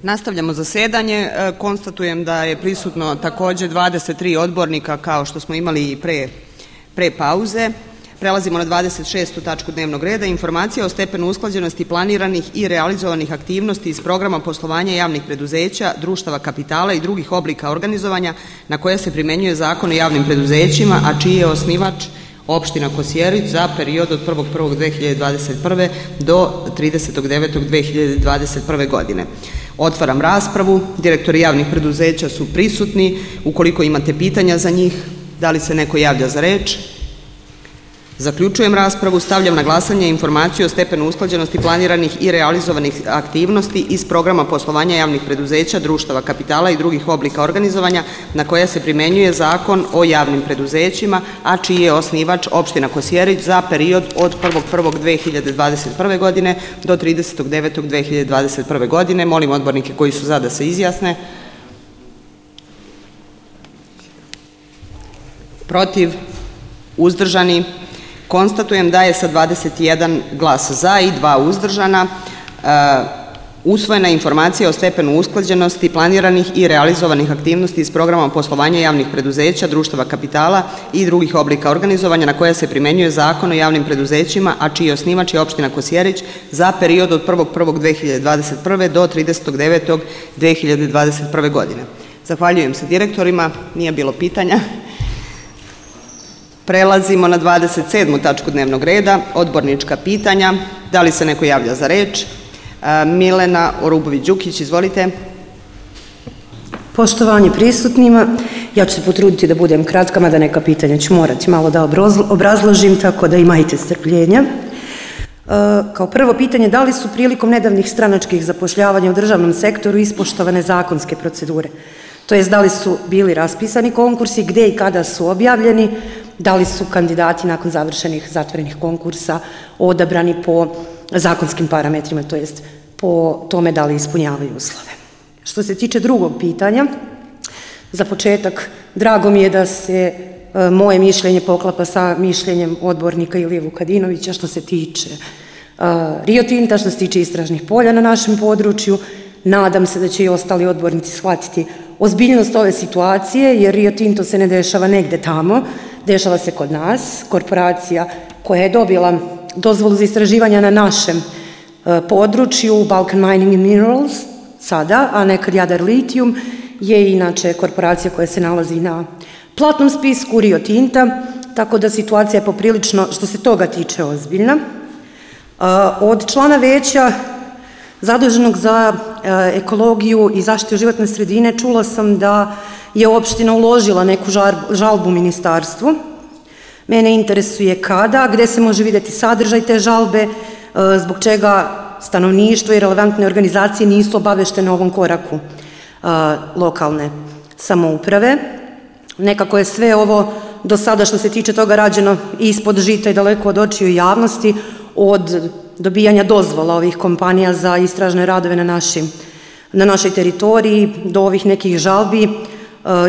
Nastavljamo zasedanje. Konstatujem da je prisutno takođe 23 odbornika kao što smo imali i pre pauze. Prelazimo na 26. tačku dnevnog reda. Informacija o stepenu usklađenosti planiranih i realizovanih aktivnosti iz programa poslovanja javnih preduzeća, društava kapitala i drugih oblika organizovanja na koje se primenjuje Zakon o javnim preduzećima, a čiji je osnivač opština Kosjerić za period od 1.1.2021. do 30.9.2021. godine. Otvaram raspravu. Direktori javnih preduzeća su prisutni. Ukoliko imate pitanja za njih, da li se neko javlja za reč? Zaključujem raspravu. Stavljam na glasanje informaciju o stepenu usklađenosti planiranih i realizovanih aktivnosti iz programa poslovanja javnih preduzeća, društava kapitala i drugih oblika organizovanja na koje se primenjuje Zakon o javnim preduzećima, a čiji je osnivač opština Kosjerić za period od 1.1.2021. godine do 30.9.2021. godine. Molim odbornike koji su za da se izjasne. Protiv? Uzdržani? Konstatujem da je sa 21 glas za i 2 uzdržana usvojena informacija o stepenu usklađenosti planiranih i realizovanih aktivnosti iz programa poslovanja javnih preduzeća, društava kapitala i drugih oblika organizovanja na koje se primenjuje Zakon o javnim preduzećima, a čiji osnivač je opština Kosjerić za period od 1.1.2021. do 30.9.2021. godine. Zahvaljujem se direktorima, nije bilo pitanja. Prelazimo na 27. tačku dnevnog reda, odbornička pitanja. Da li se neko javlja za reč? Milena Orubović-Đukić, izvolite. Poštovanje prisutnima, ja ću se potruditi da budem kratka, mada neka pitanja ću morati malo da obrazložim, tako da imajte strpljenja. Kao prvo pitanje, da li su prilikom nedavnih stranačkih zapošljavanja u državnom sektoru ispoštovane zakonske procedure? To jest, da li su bili raspisani konkursi, gde i kada su objavljeni, da li su kandidati nakon završenih zatvorenih konkursa odabrani po zakonskim parametrima, to jest po tome da li ispunjavaju uslove. Što se tiče drugog pitanja, za početak, drago mi je da se moje mišljenje poklapa sa mišljenjem odbornika Ilije Vukadinovića što se tiče Rio Tinta, što se tiče istražnih polja na našem području. Nadam se da će i ostali odbornici shvatiti ozbiljnost ove situacije, jer Rio Tinto se ne dešava negde tamo, dešava se kod nas. Korporacija koja je dobila dozvolu za istraživanja na našem području, Balkan Mining and Minerals, sada, a nekad Jadar Lithium, je inače korporacija koja se nalazi na platnom spisku Rio Tinta, tako da situacija je poprilično, što se toga tiče, ozbiljna. Od člana veća zaduženog za ekologiju i zaštitu životne sredine čula sam da je opština uložila neku žalbu ministarstvu. Mene interesuje kada, gde se može videti sadržaj te žalbe, zbog čega stanovništvo i relevantne organizacije nisu obaveštene o ovom koraku lokalne samouprave. Nekako je sve ovo do sada što se tiče toga rađeno ispod žita i daleko od očiju javnosti, od dobijanja dozvola ovih kompanija za istražne radove na našoj teritoriji do ovih nekih žalbi.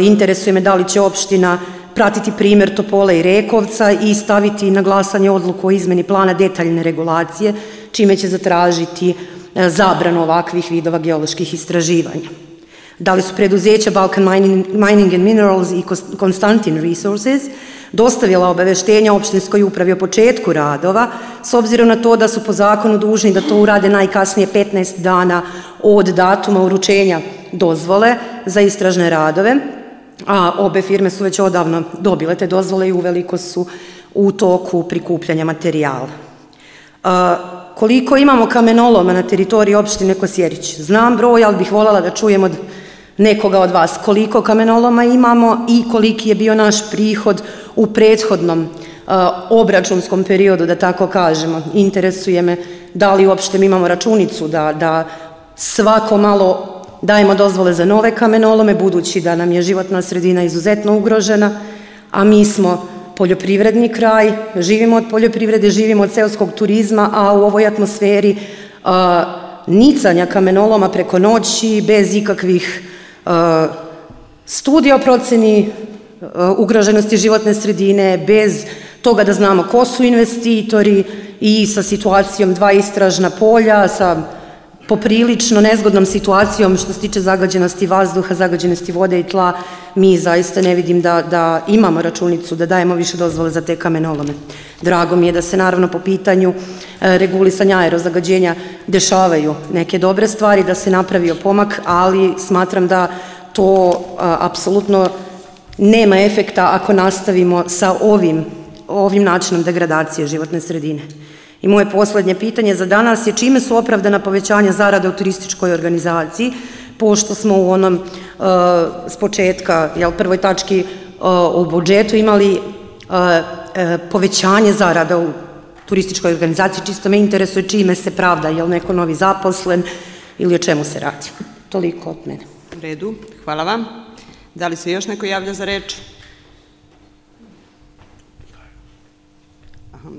Interesuje me da li će opština pratiti primer Topole i Rekovca i staviti na glasanje odluku o izmeni plana detaljne regulacije, čime će zatražiti zabranu ovakvih vidova geoloških istraživanja. Da li su preduzeća Balkan Mining and Minerals i Constantin Resources dostavila obaveštenja opštinskoj upravi o početku radova, s obzirom na to da su po zakonu dužni da to urade najkasnije 15 dana od datuma uručenja dozvole za istražne radove, a obe firme su već odavno dobile te dozvole i uveliko su u toku prikupljanja materijala. Koliko imamo kamenoloma na teritoriji opštine Kosjerić? Znam broj, ali bih voljela da čujem od nekoga od vas koliko kamenoloma imamo i koliki je bio naš prihod u prethodnom obračunskom periodu, da tako kažemo. Interesuje me da li uopšte mi imamo računicu da svako malo dajemo dozvole za nove kamenolome, budući da nam je životna sredina izuzetno ugrožena, a mi smo poljoprivredni kraj, živimo od poljoprivrede, živimo od seoskog turizma, a u ovoj atmosferi nicanja kamenoloma preko noći, bez ikakvih studija o proceni ugroženosti životne sredine, bez toga da znamo ko su investitori i sa situacijom 2 istražna polja, sa poprilično nezgodnom situacijom što se tiče zagađenosti vazduha, zagađenosti vode i tla. Mi zaista ne vidim da imamo računicu da dajemo više dozvole za te kamenolome. Drago mi je da se naravno po pitanju regulisanja aerozagađenja dešavaju neke dobre stvari, da se napravio pomak, ali smatram da to apsolutno nema efekta ako nastavimo sa ovim načinom degradacije životne sredine. I moje poslednje pitanje za danas je čime su opravdana povećanja zarada u turističkoj organizaciji, pošto smo u onom s početka, prvoj tački u budžetu imali povećanje zarada u turističkoj organizaciji, čisto me interesuje čime se pravda, je li neko novi zaposlen ili o čemu se radi. Toliko od mene. U redu, hvala vam. Da li se još neko javlja za reč?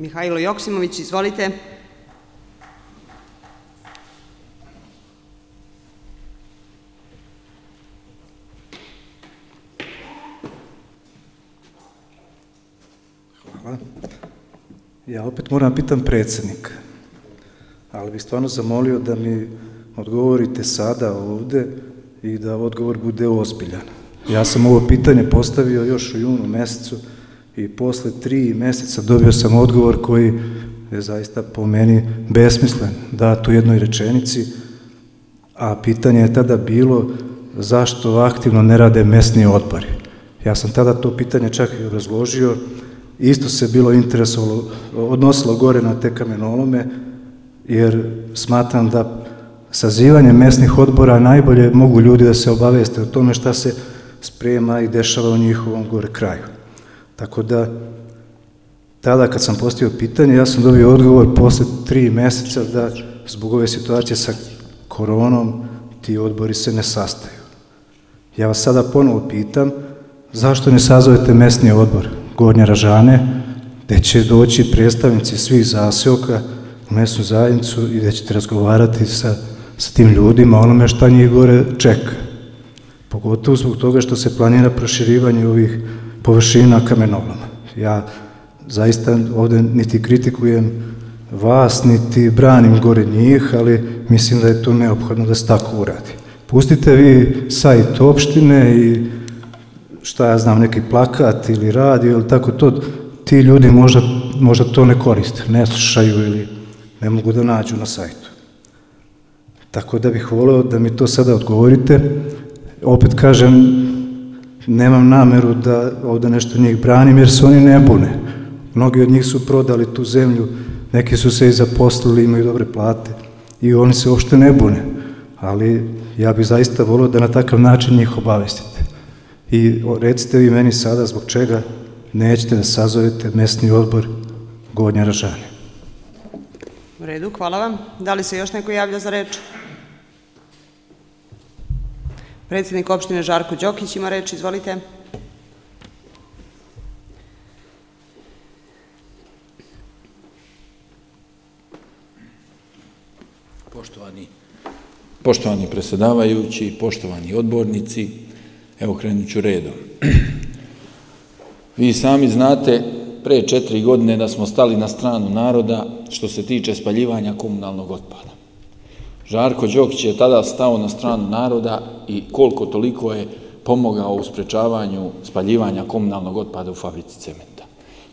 Mihajlo Joksimović, izvolite. Hvala. Ja opet moram pitam predsjednika, ali bih stvarno zamolio da mi odgovorite sada ovde i da odgovor bude ozbiljan. Ja sam ovo pitanje postavio još u junu mesecu i posle 3 meseca dobio sam odgovor koji je zaista po meni besmislen, dat u jednoj rečenici, a pitanje je tada bilo zašto aktivno ne rade mesni odbori. Ja sam tada to pitanje čak i obrazložio, isto se bilo interesovalo, odnosilo gore na te kamenolome, jer smatram da sazivanje mesnih odbora najbolje mogu ljudi da se obaveste o tome šta se sprema i dešava u njihovom gore kraju. Tako da, tada kad sam postavio pitanje, ja sam dobio odgovor posle 3 meseca da zbog ove situacije sa koronom ti odbori se ne sastaju. Ja vas sada ponovo pitam, zašto ne sazovete mesni odbor Gornje Ražane, gde će doći predstavnici svih zaseoka u mesnu zajednicu i gde ćete razgovarati sa tim ljudima, onome šta njih gore čeka. Pogotovo zbog toga što se planira proširivanje ovih površina kamenoloma. Ja zaista ovde niti kritikujem vas, niti branim gore njih, ali mislim da je to neophodno da se tako uradi. Pustite vi sajt opštine i šta ja znam, neki plakat ili radio ili tako to, ti ljudi možda to ne koriste, ne slušaju ili ne mogu da nađu na sajtu. Tako da bih voleo da mi to sada odgovorite. Opet kažem, nemam nameru da ovde nešto njih branim, jer se oni ne bune. Mnogi od njih su prodali tu zemlju, neki su se i zaposlili, imaju dobre plate i oni se uopšte ne bune. Ali ja bih zaista volio da na takav način njih obavestite. I recite vi meni sada zbog čega nećete da sazovete mesni odbor Gornje Ražane. U redu, hvala vam. Da li se još neko javlja za reč? Predsjednik opštine Žarko Đokić ima reč, izvolite. Poštovani predsjedavajući, poštovani odbornici, evo krenut ću redom. Vi sami znate, pre 4 godine da smo stali na stranu naroda što se tiče spaljivanja komunalnog otpada. Žarko Đokić je tada stao na stranu naroda i koliko toliko je pomogao u sprečavanju spaljivanja komunalnog otpada u fabrici cementa.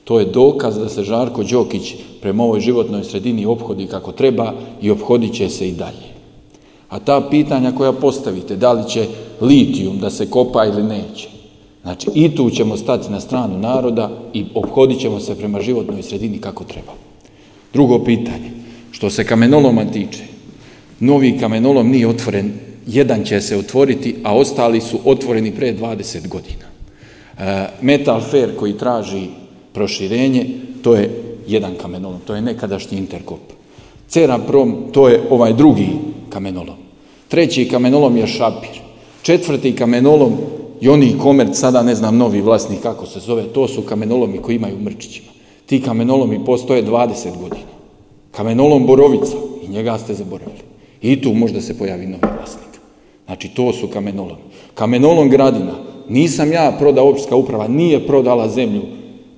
To je dokaz da se Žarko Đokić prema ovoj životnoj sredini ophodi kako treba i ophodit će se i dalje. A ta pitanja koja postavite, da li će litijum da se kopa ili neće, znači i tu ćemo stati na stranu naroda i ophodit ćemo se prema životnoj sredini kako treba. Drugo pitanje, što se kamenoloma tiče, novi kamenolom nije otvoren, jedan će se otvoriti, a ostali su otvoreni pre 20 godina. Metal Fair koji traži proširenje, to je jedan kamenolom, to je nekadašnji Interkop. Ceraprom, to je ovaj drugi kamenolom. Treći kamenolom je Šapir. Četvrti kamenolom Joni Komerc, sada ne znam novi vlasnik kako se zove, to su kamenolomi koji imaju mrčićima. Ti kamenolomi postoje 20 godina. Kamenolom Borovica, i njega ste zaboravili. I tu možda se pojavi novi vlasnik. Znači, to su kamenolomi. Kamenolom Gradina, nisam ja prodao, opštinska uprava nije prodala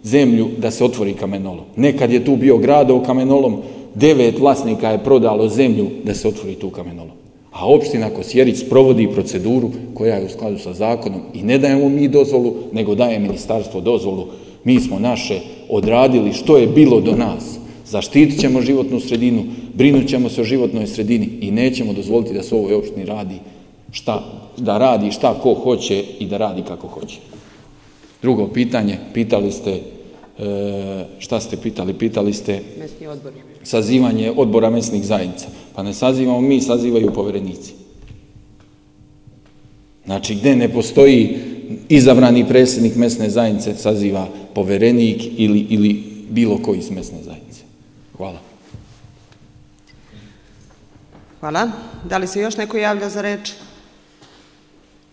zemlju da se otvori kamenolom. Nekad je tu bio Gradov kamenolom, 9 vlasnika je prodalo zemlju da se otvori tu kamenolom. A opština Kosjerić sprovodi proceduru koja je u skladu sa zakonom i ne dajemo mi dozvolu, nego daje ministarstvo dozvolu. Mi smo naše odradili što je bilo do nas. Zaštitit ćemo životnu sredinu, brinut ćemo se o životnoj sredini i nećemo dozvoliti da se u ovoj opštini radi šta ko hoće i da radi kako hoće. Drugo pitanje, pitali ste, šta ste pitali? Pitali ste Mesni odbor. Sazivanje odbora mesnih zajednica. Pa ne sazivamo mi, sazivaju poverenici. Znači, gde ne postoji izabrani predsjednik mesne zajednice, saziva poverenik ili bilo koji iz mesne zajednice. Hvala. Hvala. Da li se još neko javlja za reč?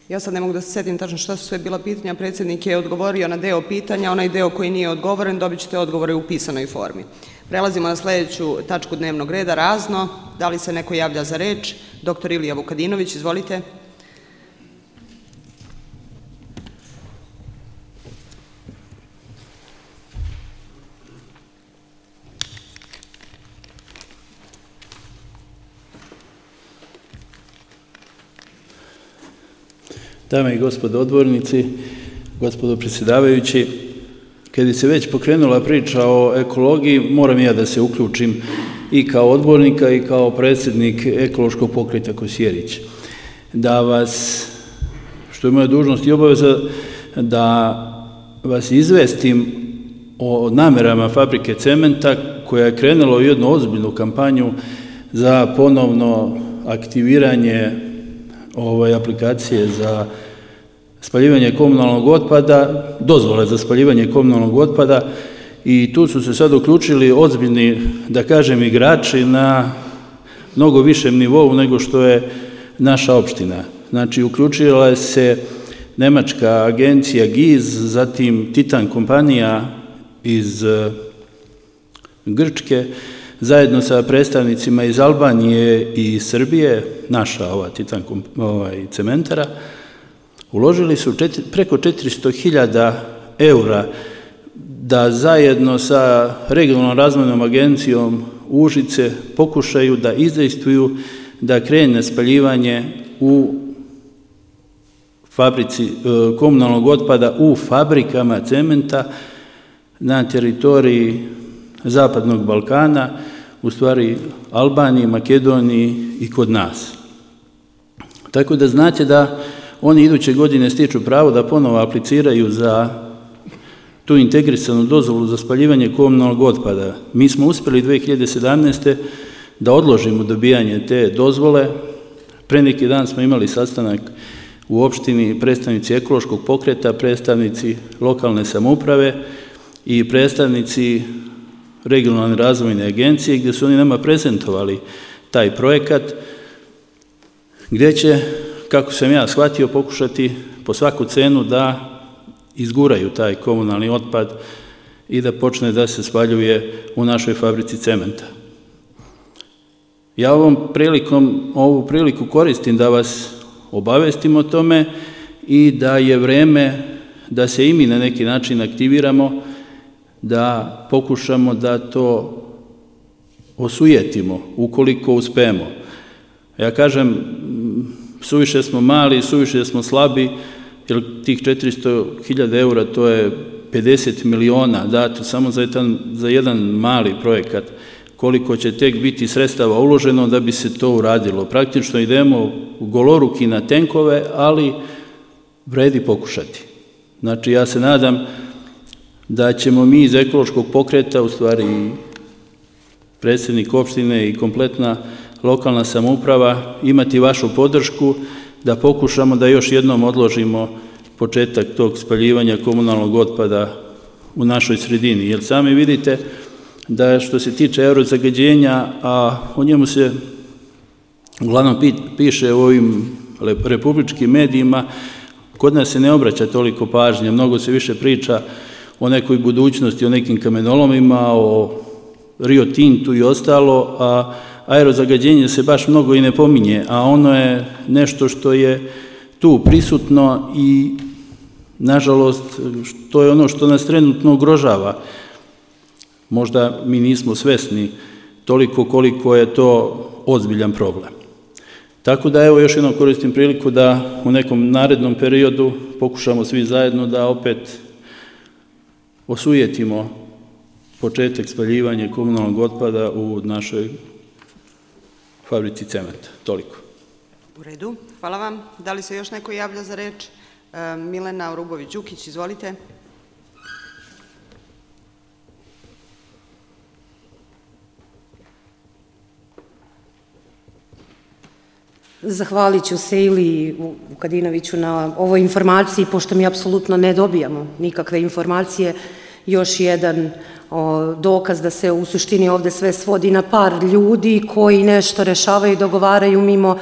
Ja sad ne mogu da se setim tačno šta su sve bila pitanja. Predsjednik je odgovorio na deo pitanja, onaj deo koji nije odgovoren dobit ćete odgovore u pisanoj formi. Prelazimo na sljedeću tačku dnevnog reda, razno. Da li se neko javlja za reč? Dr. Ilija Vukadinović, izvolite. Dame i gospodo odbornici, gospodo predsjedavajući, kad se već pokrenula priča o ekologiji, moram ja da se uključim i kao odbornika i kao predsjednik ekološkog pokreta Kosjerić. Da vas, što je moja dužnost i obaveza, da vas izvestim o namerama fabrike cementa koja je krenula u jednu ozbiljnu kampanju za ponovno aktiviranje aplikacije za spaljivanje komunalnog otpada, dozvole za spaljivanje komunalnog otpada i tu su se sad uključili ozbiljni, da kažem, igrači na mnogo višem nivou nego što je naša opština. Znači, uključila se nemačka agencija GIZ, zatim Titan kompanija iz Grčke, zajedno sa predstavnicima iz Albanije i Srbije, naša Titan cementara, uložili su preko 400.000 eura da zajedno sa regionalnom razvojnom agencijom Užice pokušaju da izdejstvuju da krene spaljivanje u fabrici komunalnog otpada u fabrikama cementa na teritoriji Zapadnog Balkana, u stvari Albaniji, Makedoniji i kod nas. Tako da znate da oni iduće godine stiču pravo da ponovo apliciraju za tu integrisanu dozvolu za spaljivanje komunalnog otpada. Mi smo uspjeli 2017. da odložimo dobijanje te dozvole. Pre neki dan smo imali sastanak u opštini, predstavnici ekološkog pokreta, predstavnici lokalne samouprave i predstavnici regionalne razvojne agencije, gdje su oni nama prezentovali taj projekat, gdje će, kako sam ja shvatio, pokušati po svaku cenu da izguraju taj komunalni otpad i da počne da se spaljuje u našoj fabrici cementa. Ja ovu priliku koristim da vas obavestim o tome i da je vreme da se i mi na neki način aktiviramo, da pokušamo da to osujetimo, ukoliko uspemo. Ja kažem, suviše smo mali, suviše smo slabi, jer tih 400.000 eura to je 50 miliona dato samo za jedan mali projekat. Koliko će tek biti sredstava uloženo da bi se to uradilo. Praktično idemo u goloruki na tenkove, ali vredi pokušati. Znači, ja se nadam da ćemo mi iz ekološkog pokreta, u stvari predsjednik opštine i kompletna lokalna samouprava, imati vašu podršku da pokušamo da još jednom odložimo početak tog spaljivanja komunalnog otpada u našoj sredini. Jer sami vidite da što se tiče aerozagađenja, a o njemu se uglavnom piše u ovim republičkim medijima, kod nas se ne obraća toliko pažnje, mnogo se više priča o nekoj budućnosti, o nekim kamenolomima, o Rio Tintu i ostalo, a aerozagađenje se baš mnogo i ne pominje, a ono je nešto što je tu prisutno i, nažalost, to je ono što nas trenutno ugrožava. Možda mi nismo svesni toliko koliko je to ozbiljan problem. Tako da evo još jednom koristim priliku da u nekom narednom periodu pokušamo svi zajedno da opet osujetimo početak spaljivanja komunalnog otpada u našoj fabrici cementa. Toliko. U redu, hvala vam. Da li se još neko javlja za reč? Milena Urubović-Đukić, izvolite. Zahvalit ću se Iliji Vukadinoviću na ovoj informaciji, pošto mi apsolutno ne dobijamo nikakve informacije. Još jedan dokaz da se u suštini ovde sve svodi na par ljudi koji nešto rešavaju i dogovaraju mimo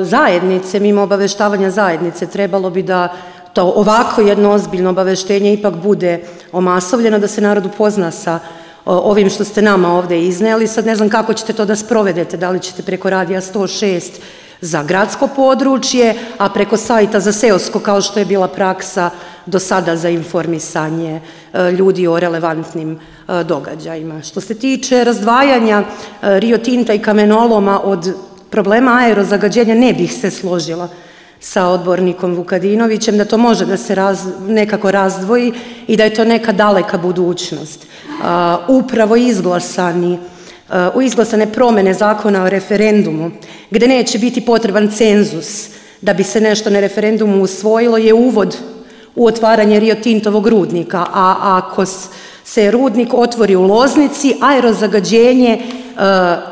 zajednice, mimo obaveštavanja zajednice. Trebalo bi da to ovako jedno ozbiljno obaveštenje ipak bude omasovljeno, da se narod upozna sa ovim što ste nama ovde izneli. Sad ne znam kako ćete to da sprovedete, da li ćete preko radija 106 za gradsko područje, a preko sajta za seosko, kao što je bila praksa do sada za informisanje ljudi o relevantnim događajima. Što se tiče razdvajanja Rio Tinta i kamenoloma od problema aerozagađenja, ne bih se složila sa odbornikom Vukadinovićem, da to može da se nekako razdvoji i da je to neka daleka budućnost. Upravo izglasane promene zakona o referendumu, gde neće biti potreban cenzus da bi se nešto na referendumu usvojilo, je uvod u otvaranje Rio Tintovog rudnika, a ako se rudnik otvori u Loznici, aerozagađenje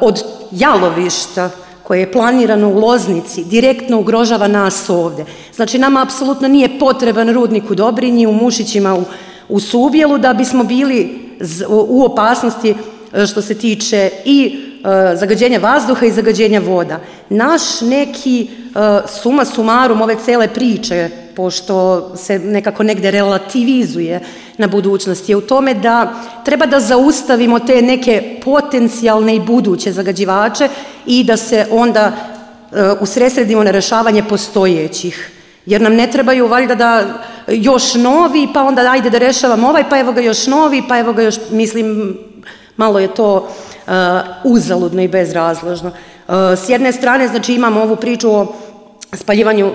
od jalovišta koje je planirano u Loznici direktno ugrožava nas ovde. Znači, nama apsolutno nije potreban rudnik u Dobrinji, u Mušićima, u Subjelu, da bismo bili u opasnosti što se tiče i zagađenja vazduha i zagađenja voda. Naš neki suma sumarum ove cele priče, pošto se nekako negde relativizuje na budućnost, je u tome da treba da zaustavimo te neke potencijalne i buduće zagađivače i da se onda usredsredimo na rešavanje postojećih. Jer nam ne trebaju valjda da još novi, pa onda ajde da rešavamo ovaj, pa evo ga još novi, pa evo ga još, mislim, malo je to uzaludno i bezrazložno. S jedne strane, znači, imamo ovu priču o spaljivanju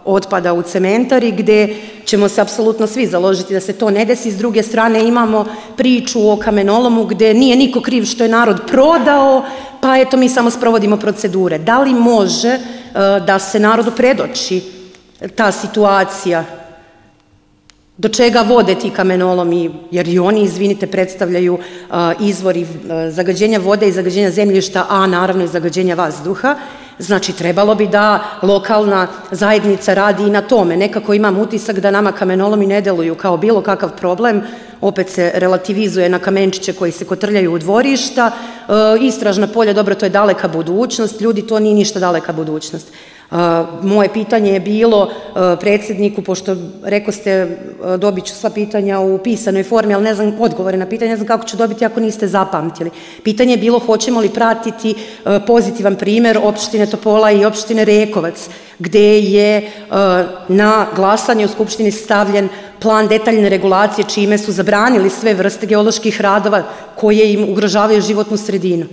otpada u cementari, gde ćemo se apsolutno svi založiti da se to ne desi. S druge strane, imamo priču o kamenolomu, gde nije niko kriv što je narod prodao, pa eto mi samo sprovodimo procedure. Da li može da se narodu predoči ta situacija, do čega vode ti kamenolomi, jer i oni, izvinite, predstavljaju izvori zagađenja vode i zagađenja zemljišta, a naravno i zagađenja vazduha. Znači, trebalo bi da lokalna zajednica radi i na tome. Nekako imam utisak da nama kamenolomi ne deluju kao bilo kakav problem, opet se relativizuje na kamenčiće koji se kotrljaju u dvorišta. Istražna polja, dobro, to je daleka budućnost, ljudi, to nije ništa daleka budućnost. Moje pitanje je bilo predsjedniku, pošto rekao ste dobit ću sva pitanja u pisanoj formi, ali ne znam odgovore na pitanje, ne znam kako ću dobiti ako niste zapamtili. Pitanje je bilo hoćemo li pratiti pozitivan primer opštine Topola i opštine Rekovac, gde je na glasanje u Skupštini stavljen plan detaljne regulacije, čime su zabranili sve vrste geoloških radova koje im ugrožavaju životnu sredinu.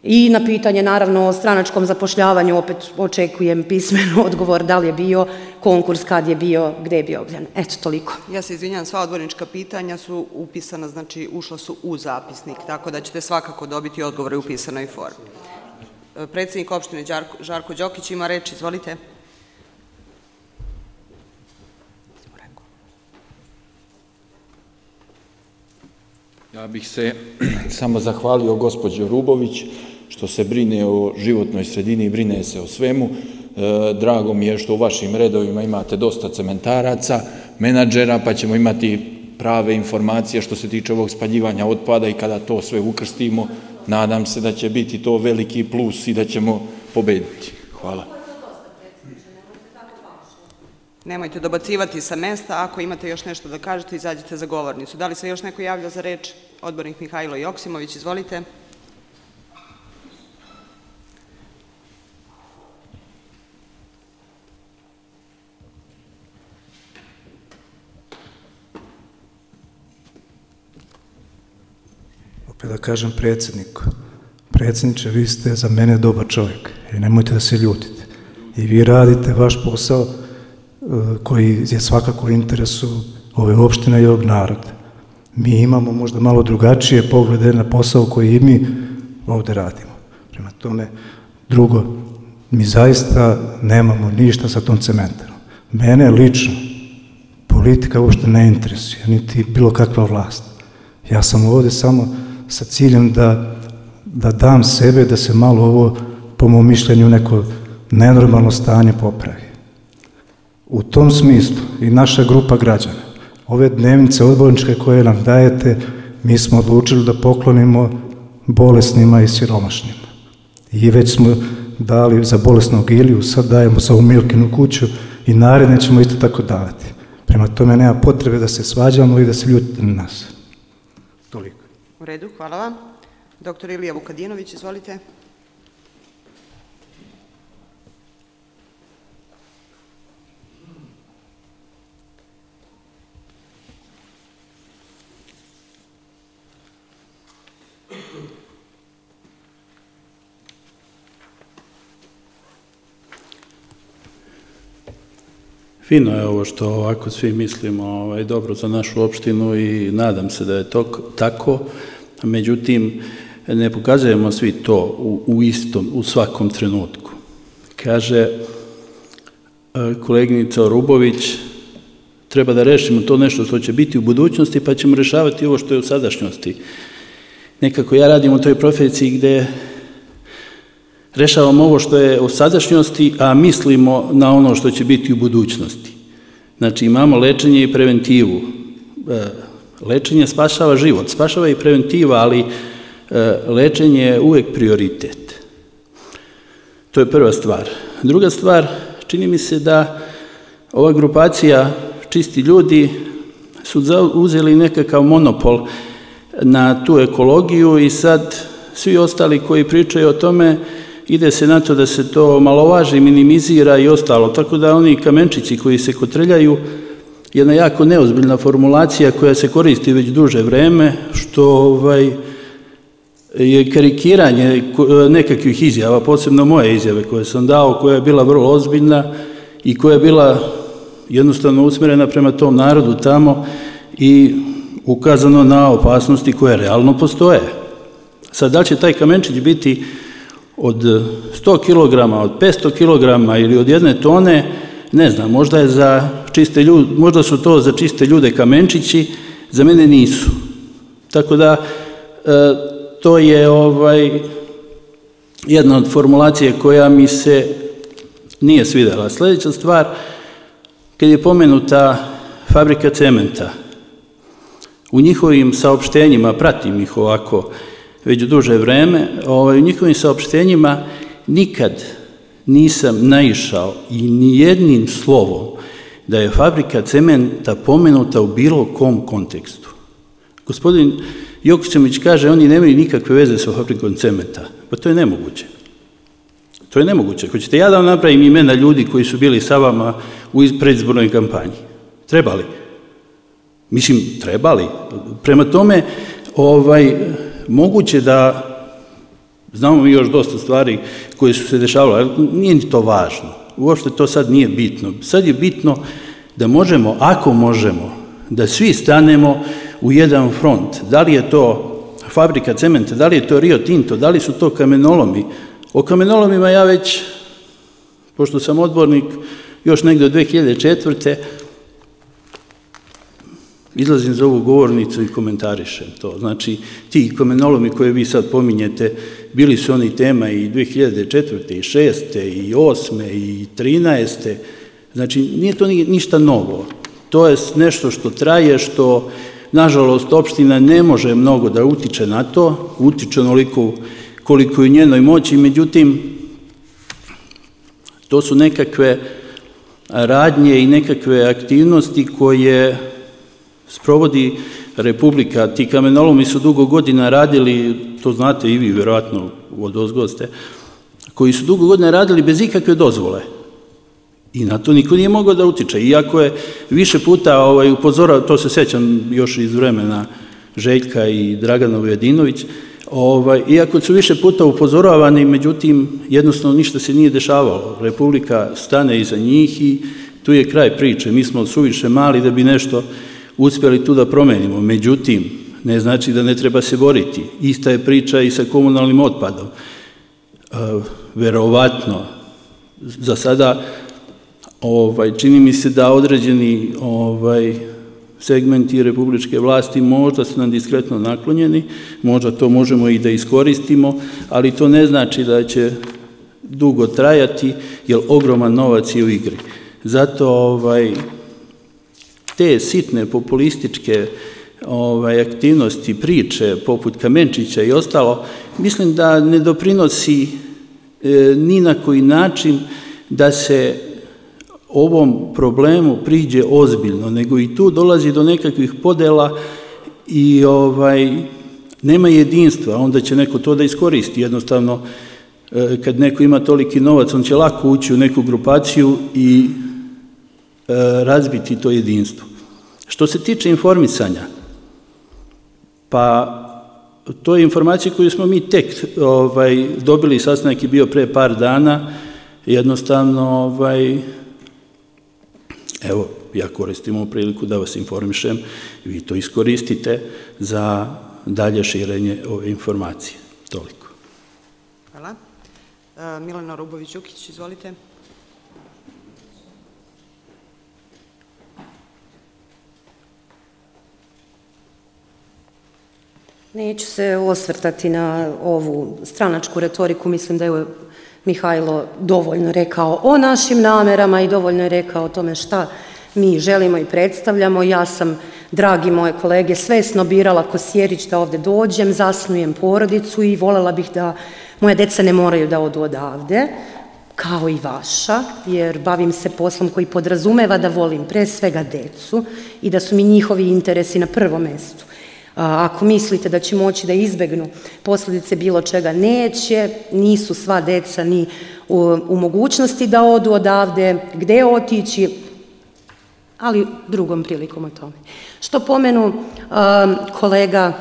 I na pitanje, naravno, o stranačkom zapošljavanju opet očekujem pismeno odgovor da li je bio konkurs, kad je bio, gde je bio objavljen. Eto, toliko. Ja se izvinjam, sva odbornička pitanja su upisana, znači ušla su u zapisnik, tako da ćete svakako dobiti odgovore u pisanoj formi. Predsjednik opštine Žarko Đokić ima reč, izvolite. Ja bih se samo zahvalio gospođo Rubović što se brine o životnoj sredini i brine se o svemu. Drago mi je što u vašim redovima imate dosta cementaraca, menadžera, pa ćemo imati prave informacije što se tiče ovog spaljivanja otpada i kada to sve ukrstimo, nadam se da će biti to veliki plus i da ćemo pobediti. Hvala. Nemojte dobacivati sa mesta, ako imate još nešto da kažete, izađite za govornicu. Da li se još neko javlja za reč? Odbornik Mihajlo Joksimović, izvolite. dozvolite da kažem predsjedniku. Predsjedniče, vi ste za mene dobar čovjek i nemojte da se ljutite. I vi radite vaš posao koji je svakako u interesu ove opštine i ovog naroda. Mi imamo možda malo drugačije poglede na posao koji i mi ovdje radimo. Prema tome, drugo, mi zaista nemamo ništa sa tom cementarom. Mene lično politika uopšte ne interesuje, niti bilo kakva vlast. Ja sam ovdje samo sa ciljem da dam sebe, da se malo ovo, po mom mišljenju, neko nenormalno stanje popravi. U tom smislu i naša grupa građana, ove dnevnice odborničke koje nam dajete, mi smo odlučili da poklonimo bolesnima i siromašnima. I već smo dali za bolesnog Iliju, sad dajemo za ovu Milkinu kuću i naredne ćemo isto tako davati. Prema tome nema potrebe da se svađamo i da se ljutite na nas. Toliko. U redu, hvala vam. Doktor Ilija Vukadinović, izvolite. Fino je ovo što ovako svi mislimo dobro za našu opštinu i nadam se da je to tako, međutim ne pokazujemo svi to u svakom trenutku. Kaže koleginica Orubović, treba da rešimo to nešto što će biti u budućnosti pa ćemo rešavati ovo što je u sadašnjosti. Nekako ja radim u toj profesiji gde rešavamo ovo što je u sadašnjosti, a mislimo na ono što će biti u budućnosti. Znači imamo lečenje i preventivu. Lečenje spašava život, spašava i preventiva, ali lečenje je uvek prioritet. To je prva stvar. Druga stvar, čini mi se da ova grupacija Čisti ljudi su uzeli nekakav monopol na tu ekologiju i sad svi ostali koji pričaju o tome ide se na to da se to malovaži, minimizira i ostalo. Tako da oni kamenčići koji se kotreljaju, jedna jako neozbiljna formulacija koja se koristi već duže vreme, što je karikiranje nekakvih izjava, posebno moje izjave koje sam dao, koja je bila vrlo ozbiljna i koja je bila jednostavno usmjerena prema tom narodu tamo i ukazano na opasnosti koje realno postoje. Sad, da li će taj kamenčić biti od 100 kg, od 500 kg ili od 1 tone, ne znam, možda su to za čiste ljude kamenčići, za mene nisu. Tako da, to je jedna od formulacije koja mi se nije svidela. Sljedeća stvar, kad je pomenuta fabrika cementa, u njihovim saopštenjima, pratim ih ovako već duže vreme, u njihovim saopštenjima nikad nisam naišao i nijednim slovom da je fabrika cementa pomenuta u bilo kom kontekstu. Gospodin Jokićević kaže, oni nemaju nikakve veze sa fabrikom cementa. Pa to je nemoguće. To je nemoguće. Hoćete ja da vam napravim imena ljudi koji su bili sa vama u predizbornoj kampanji? Trebali? Mislim, trebali. Prema tome, moguće da znamo mi još dosta stvari koje su se dešavale, ali nije ni to važno. Uopšte to sad nije bitno. Sad je bitno da možemo, ako možemo, da svi stanemo u jedan front. Da li je to fabrika cementa, da li je to Rio Tinto, da li su to kamenolomi. O kamenolomima ja već, pošto sam odbornik, još negde od 2004. izlazim za ovu govornicu i komentarišem to. Znači, ti kamenolomi koje vi sad pominjete, bili su oni tema i 2004. i 2006. i 2008. i 2013. Znači, nije to ništa novo. To je nešto što traje, što, nažalost, opština ne može mnogo da utiče na to, utiče onoliko koliko je u njenoj moći, međutim, to su nekakve radnje i nekakve aktivnosti koje sprovodi Republika. Ti kamenolomi su dugo godina radili, to znate i vi, vjerojatno od ozgoste, koji su dugo godina radili bez ikakve dozvole. I na to niko nije mogao da utiče. Iako je više puta upozorao, to se sećam još iz vremena Željka i Dragana Vujadinović, iako su više puta upozoravani, međutim, jednostavno ništa se nije dešavalo. Republika stane iza njih i tu je kraj priče. Mi smo suviše mali da bi nešto uspjeli tu da promenimo. Međutim, ne znači da ne treba se boriti. Ista je priča i sa komunalnim otpadom. Verovatno, za sada čini mi se da određeni segmenti republičke vlasti možda su nam diskretno naklonjeni, možda to možemo i da iskoristimo, ali to ne znači da će dugo trajati, jer ogroman novac je u igri. Zato te sitne populističke aktivnosti, priče poput Kamenčića i ostalo, mislim da ne doprinosi ni na koji način da se ovom problemu priđe ozbiljno, nego i tu dolazi do nekakvih podela i nema jedinstva, onda će neko to da iskoristi. Jednostavno, kad neko ima toliki novac, on će lako ući u neku grupaciju i razbiti to jedinstvo. Što se tiče informisanja, pa to je informacija koju smo mi tek dobili, sastanak je bio pre par dana, jednostavno, evo, ja koristim ovu priliku da vas informišem, vi to iskoristite za dalje širenje ove informacije. Toliko. Hvala. Milena Rubović-Đukić, izvolite. Neću se osvrtati na ovu stranačku retoriku, mislim da je Mihajlo dovoljno rekao o našim namerama i dovoljno je rekao o tome šta mi želimo i predstavljamo. Ja sam, dragi moje kolege, svesno birala ko Sjerić da ovde dođem, zasnujem porodicu i voljela bih da moje deca ne moraju da odu odavde, kao i vaša, jer bavim se poslom koji podrazumeva da volim pre svega decu i da su mi njihovi interesi na prvom mestu. Ako mislite da će moći da izbegnu posljedice bilo čega, neće, nisu sva deca ni u mogućnosti da odu odavde, gde otići, ali drugom prilikom o tome. Što pomenu kolega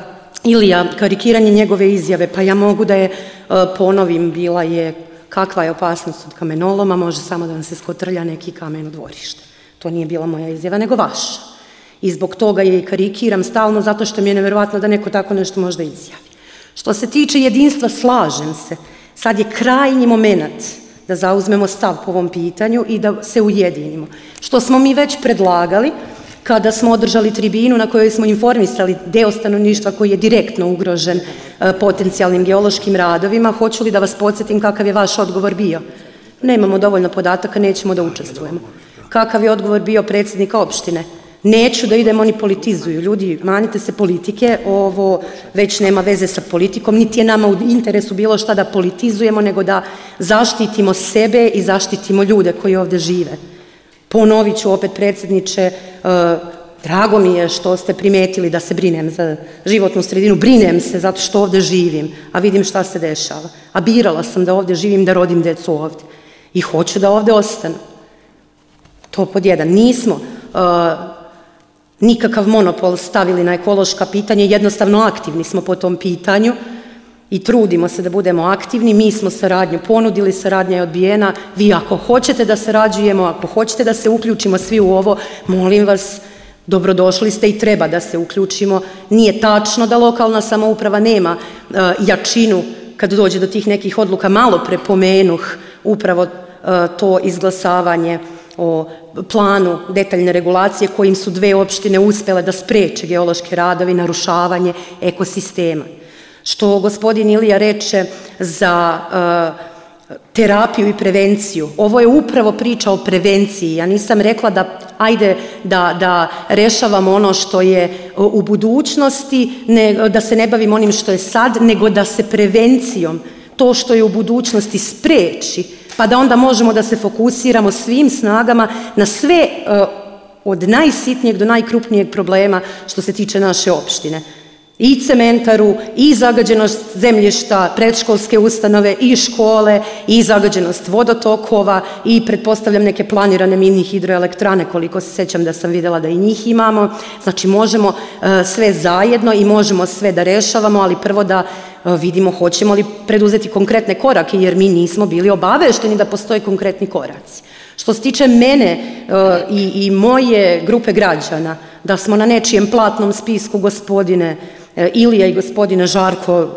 Ilija, karikiranje njegove izjave, pa ja mogu da je ponovim, bila je kakva je opasnost od kamenoloma, može samo da vam se skotrlja neki kamen u dvorište. To nije bila moja izjava, nego vaša. I zbog toga je i karikiram stalno, zato što mi je neverovatno da neko tako nešto možda izjavi. Što se tiče jedinstva, slažem se. Sad je krajnji moment da zauzmemo stav po ovom pitanju i da se ujedinimo. Što smo mi već predlagali kada smo održali tribinu na kojoj smo informisali deo stanovništva koji je direktno ugrožen potencijalnim geološkim radovima. Hoću li da vas podsjetim kakav je vaš odgovor bio? Nemamo dovoljno podataka, nećemo da učestvujemo. Kakav je odgovor bio predsjednika opštine? Neću da idem, oni politizuju. Ljudi, manite se politike, ovo već nema veze sa politikom, niti je nama u interesu bilo šta da politizujemo, nego da zaštitimo sebe i zaštitimo ljude koji ovde žive. Ponovit ću opet, predsjedniče, drago mi je što ste primetili da se brinem za životnu sredinu, brinem se zato što ovde živim, a vidim šta se dešava. A birala sam da ovde živim, da rodim decu ovde. I hoću da ovde ostanu. To pod jedan. Nismo nikakav monopol stavili na ekološka pitanja, jednostavno aktivni smo po tom pitanju i trudimo se da budemo aktivni. Mi smo saradnju ponudili, saradnja je odbijena. Vi ako hoćete da sarađujemo, ako hoćete da se uključimo svi u ovo, molim vas, dobrodošli ste i treba da se uključimo. Nije tačno da lokalna samouprava nema jačinu kad dođe do tih nekih odluka. Malo pre pomenuh upravo to izglasavanje o planu detaljne regulacije kojim su dve opštine uspele da spreče geološke radove i narušavanje ekosistema. Što gospodin Ilija reče za terapiju i prevenciju. Ovo je upravo priča o prevenciji. Ja nisam rekla da ajde da rešavamo ono što je u budućnosti, da se ne bavimo onim što je sad, nego da se prevencijom to što je u budućnosti spreči, pa da onda možemo da se fokusiramo svim snagama na sve od najsitnijeg do najkrupnijeg problema što se tiče naše opštine. i cementaru, i zagađenost zemljišta, predškolske ustanove, i škole, i zagađenost vodotokova, i pretpostavljam neke planirane mini hidroelektrane, koliko se sećam da sam vidjela da i njih imamo. Znači možemo sve zajedno i možemo sve da rešavamo, ali prvo da vidimo hoćemo li preduzeti konkretne korake, jer mi nismo bili obavešteni da postoje konkretni koraci. Što se tiče mene i moje grupe građana, da smo na nečijem platnom spisku, gospodine Ilija i gospodine Žarko,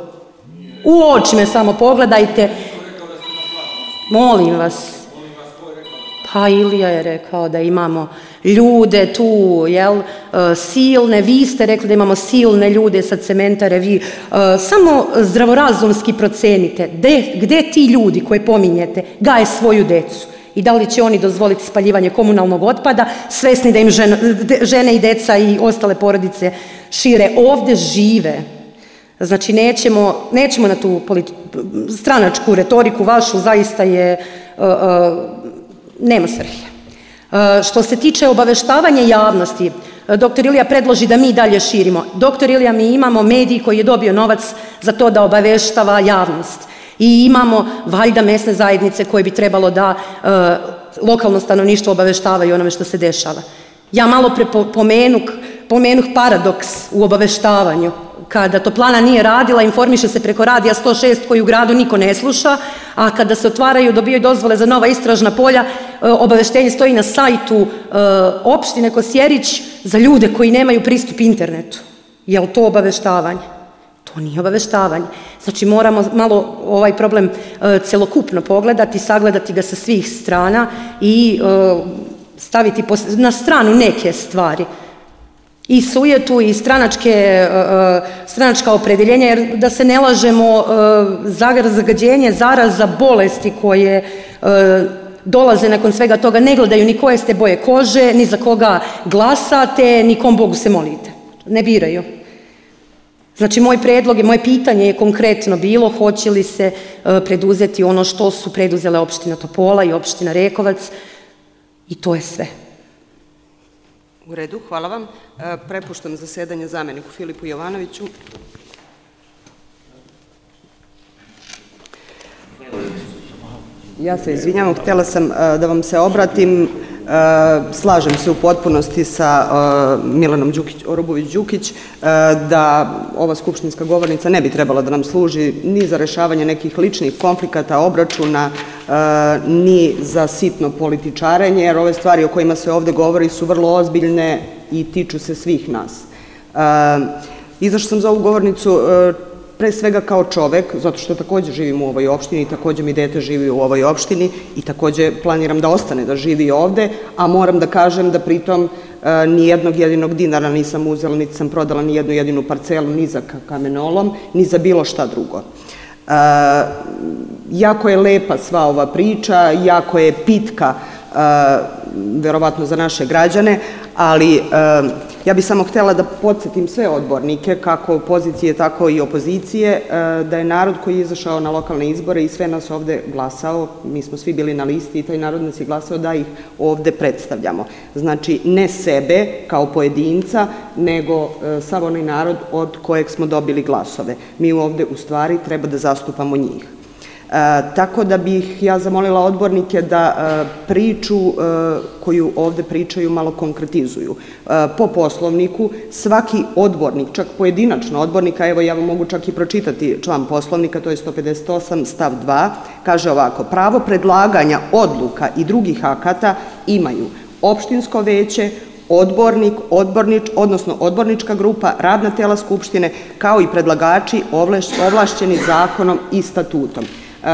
u oči me samo pogledajte. Molim vas. Pa Ilija je rekao da imamo ljude tu, silne, vi ste rekli da imamo silne ljude sa cementare, vi samo zdravorazumski procenite gde ti ljudi koje pominjete gaje svoju decu i da li će oni dozvoliti spaljivanje komunalnog otpada, svesni da im žene i deca i ostale porodice šire ovde žive. Znači nećemo na tu stranačku retoriku vašu, zaista je nema svrhe. Što se tiče obaveštavanja javnosti, dr. Ilija predloži da mi dalje širimo. Dr. Ilija, mi imamo medij koji je dobio novac za to da obaveštava javnost. I imamo valjda mesne zajednice koje bi trebalo da lokalno stanovništvo obaveštavaju onome što se dešava. Ja malo pre pomenuh paradoks u obaveštavanju. Kada toplana nije radila, informiše se preko radija 106 koji u gradu niko ne sluša, a kada se otvaraju, dobijaju dozvole za nova istražna polja, obaveštenje stoji na sajtu opštine Kosjerić za ljude koji nemaju pristup internetu. Je li to obaveštavanje? To nije obaveštavanje. Znači moramo malo ovaj problem celokupno pogledati, sagledati ga sa svih strana i staviti na stranu neke stvari. I sujetu i stranačka opredeljenja, jer da se ne lažemo, zagađenje, zaraza, bolesti koje dolaze nakon svega toga ne gledaju ni koje ste boje kože, ni za koga glasate, ni kom Bogu se molite. Ne biraju. Znači moj predlog i moje pitanje je konkretno bilo hoće li se preduzeti ono što su preduzele opština Topola i opština Rekovac i to je sve. U redu, hvala vam. Prepuštam zasedanje zameniku Filipu Jovanoviću. Ja se izvinjavam, htjela sam da vam se obratim. Slažem se u potpunosti sa Milanom Orobović-Đukić da ova skupštinska govornica ne bi trebala da nam služi ni za rešavanje nekih ličnih konflikata, obračuna, ni za sitno političarenje, jer ove stvari o kojima se ovde govori su vrlo ozbiljne i tiču se svih nas. Izašla sam za ovu govornicu pre svega kao čovek, zato što takođe živim u ovoj opštini i takođe mi dete živi u ovoj opštini i takođe planiram da ostane da živi ovde, a moram da kažem da pritom ni jednog jedinog dinara nisam uzela, niti sam prodala ni jednu jedinu parcelu, ni za kamenolom, ni za bilo šta drugo. Jako je lepa sva ova priča, jako je pitka, verovatno za naše građane, ali ja bih samo htjela da podsjetim sve odbornike, kako pozicije, tako i opozicije, da je narod koji je izašao na lokalne izbore i sve nas ovde glasao, mi smo svi bili na listi i taj narod nas je glasao da ih ovde predstavljamo. Znači, ne sebe kao pojedinca, nego sav onaj narod od kojeg smo dobili glasove. Mi ovde u stvari treba da zastupamo njih. Tako da bih ja zamolila odbornike da priču koju ovde pričaju malo konkretizuju. Po Poslovniku svaki odbornik, čak pojedinačno odbornika, evo ja vam mogu čak i pročitati član Poslovnika, to je 158 stav 2, kaže ovako: pravo predlaganja odluka i drugih akata imaju opštinsko veće, odbornik, odnosno odbornička grupa, radna tela Skupštine, kao i predlagači ovlašćeni zakonom i statutom.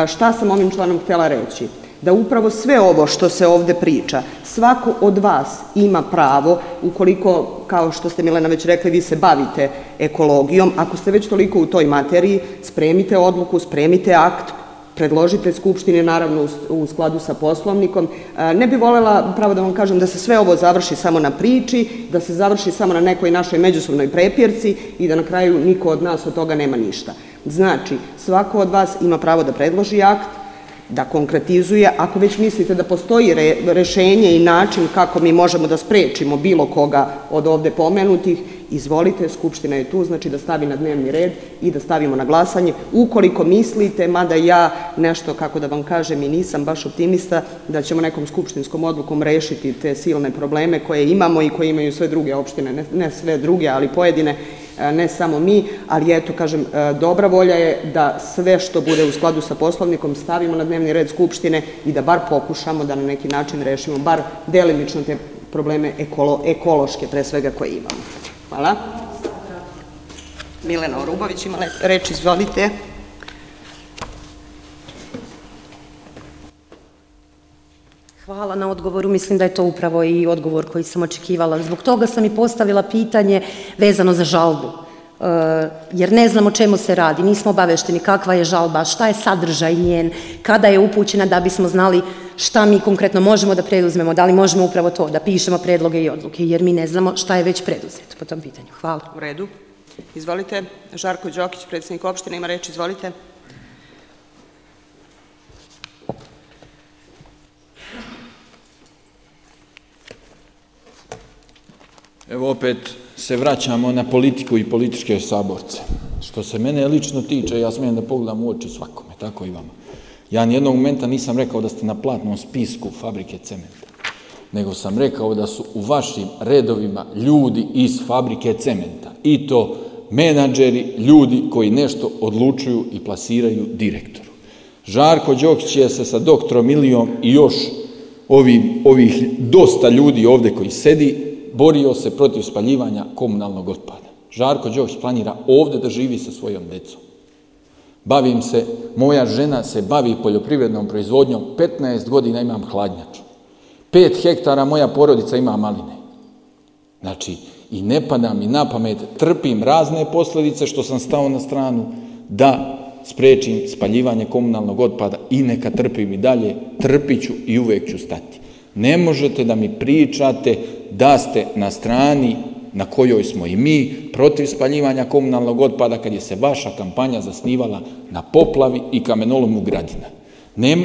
Šta sam ovim članom htjela reći? Da upravo sve ovo što se ovde priča, svako od vas ima pravo, ukoliko, kao što ste Milena već rekli, vi se bavite ekologijom, ako ste već toliko u toj materiji, spremite odluku, spremite akt, predložite Skupštini, naravno u skladu sa Poslovnikom. Ne bi voljela, pravo da vam kažem, da se sve ovo završi samo na priči, da se završi samo na nekoj našoj međusobnoj prepirci i da na kraju niko od nas od toga nema ništa. Znači, svako od vas ima pravo da predloži akt, da konkretizuje. Ako već mislite da postoji rešenje i način kako mi možemo da sprečimo bilo koga od ovde pomenutih izvolite, Skupština je tu, znači da stavi na dnevni red i da stavimo na glasanje. Ukoliko mislite, mada ja nešto, kako da vam kažem, i nisam baš optimista, da ćemo nekom skupštinskom odlukom rešiti te silne probleme koje imamo i koje imaju sve druge opštine, ne sve druge, ali pojedine, ne samo mi, ali eto, kažem, dobra volja je da sve što bude u skladu sa Poslovnikom stavimo na dnevni red Skupštine i da bar pokušamo da na neki način rešimo bar delimično te probleme ekološke, pre svega, koje imamo. Hvala. Milena Orubović ima reč, izvolite. Hvala na odgovoru, mislim da je to upravo i odgovor koji sam očekivala. Zbog toga sam i postavila pitanje vezano za žalbu, jer ne znam o čemu se radi, nismo obavešteni kakva je žalba, šta je sadržaj njen, kada je upućena, da bismo znali šta mi konkretno možemo da preduzmemo, da li možemo upravo to, da pišemo predloge i odluke, jer mi ne znamo šta je već preduzeto po tom pitanju. Hvala. U redu. Izvolite. Žarko Đokić, predsednik opštine, ima reč, izvolite. Evo opet se vraćamo na politiku i političke saborce. Što se mene lično tiče, ja smijem da pogledam u oči svakome, tako i vama. Ja nijednog momenta nisam rekao da ste na platnom spisku fabrike cementa, nego sam rekao da su u vašim redovima ljudi iz fabrike cementa, i to menadžeri, ljudi koji nešto odlučuju i plasiraju direktoru. Žarko Đokić je se sa doktorom Ilijom i još ovih dosta ljudi ovde koji sedi borio se protiv spaljivanja komunalnog otpada. Žarko Đokić planira ovde da živi sa svojom decom. Bavim se, moja žena se bavi poljoprivrednom proizvodnjom, 15 godina imam hladnjaču. 5 hektara moja porodica ima maline. Znači, i ne pada mi na pamet, trpim razne posljedice što sam stao na stranu da sprečim spaljivanje komunalnog otpada i neka trpim i dalje, trpit ću i uvek ću stati. Ne možete da mi pričate da ste na strani na kojoj smo i mi protiv spaljivanja komunalnog otpada kad je se vaša kampanja zasnivala na poplavi i kamenolomu Gradina.